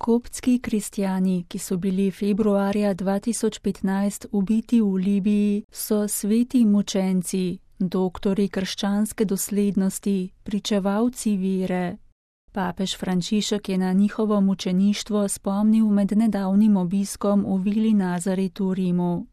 Koptski kristjani, ki so bili februarja 2015 ubiti v Libiji, so sveti mučenci, doktori krščanske doslednosti, pričevalci vere. Papež Frančišek je na njihovo mučeništvo spomnil med nedavnim obiskom v Vili Nazaret v Rimu.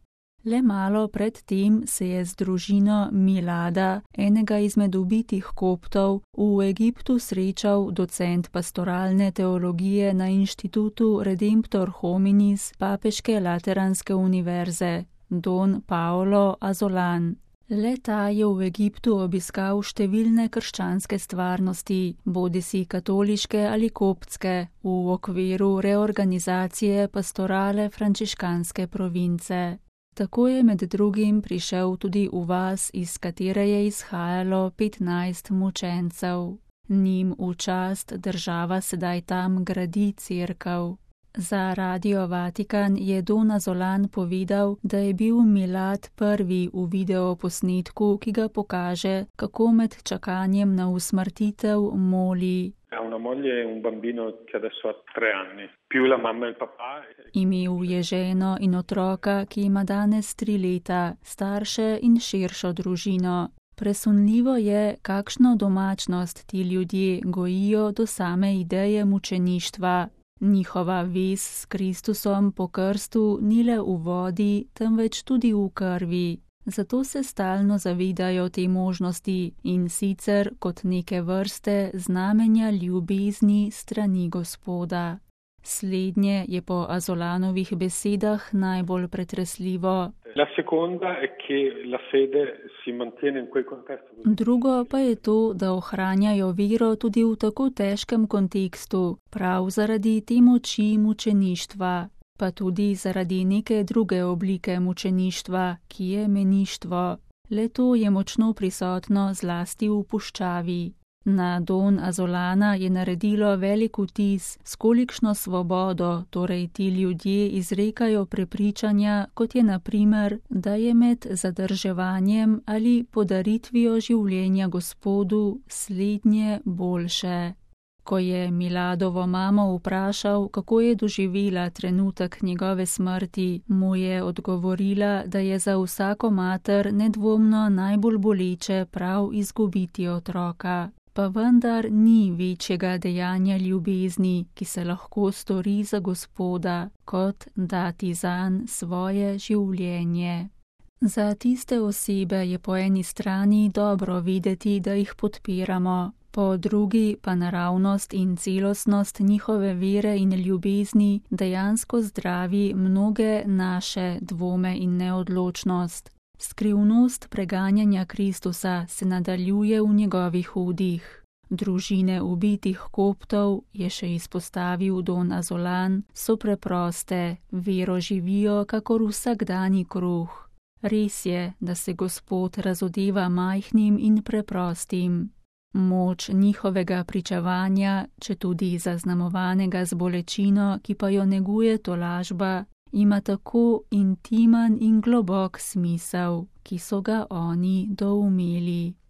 Le malo pred tem se je z družino Milada, enega izmed ubitih Koptov, v Egiptu srečal docent pastoralne teologije na inštitutu Redemptor Hominis Papeške Lateranske univerze, don Paolo Azolan. Le ta je v Egiptu obiskal številne krščanske stvarnosti, bodisi katoliške ali koptske, v okviru reorganizacije pastorale frančiškanske province. Tako je med drugim prišel tudi v vas, iz katere je izhajalo 15 mučencev. Njim v čast država sedaj tam gradi cerkev. Za Radio Vatikan je don Azolan povedal, da je bil Milad prvi v videoposnetku, ki ga pokaže, kako med čakanjem na usmrtitev moli. Imel je ženo in otroka, ki ima danes 3 leta, starše in širšo družino. Presunljivo je, kakšno domačnost ti ljudje gojijo do same ideje mučeništva. Njihova vez s Kristusom po krstu ni le v vodi, temveč tudi v krvi. Zato se stalno zavedajo te možnosti in sicer kot neke vrste znamenja ljubezni strani Gospoda. Slednje je po Azolanovih besedah najbolj pretresljivo. Drugo pa je to, da ohranjajo vero tudi v tako težkem kontekstu, prav zaradi te moči mučeništva, pa tudi zaradi neke druge oblike mučeništva, ki je meništvo. Le to je močno prisotno zlasti v puščavi. Na don Azolana je naredilo velik vtis, s kolikšno svobodo torej ti ljudje izrekajo prepričanja, kot je na primer, da je med zadrževanjem ali podaritvijo življenja Gospodu slednje boljše. Ko je Miladovo mamo vprašal, kako je doživela trenutek njegove smrti, mu je odgovorila, da je za vsako mater nedvomno najbolj boleče prav izgubiti otroka. Pa vendar ni večjega dejanja ljubezni, ki se lahko stori za Gospoda, kot dati zanj svoje življenje. Za tiste osebe je po eni strani dobro videti, da jih podpiramo, po drugi pa naravnost in celostnost njihove vere in ljubezni dejansko zdravi mnoge naše dvome in neodločnost. Skrivnost preganjanja Kristusa se nadaljuje v njegovih udih. Družine ubitih Koptov, je še izpostavil don Azolan, so preproste, vero živijo kakor vsakdani kruh. Res je, da se Gospod razodeva majhnim in preprostim. Moč njihovega pričevanja, četudi zaznamovanega z bolečino, ki pa jo neguje tolažba, ima tako intimen in globok smisel, ki so ga oni doumeli.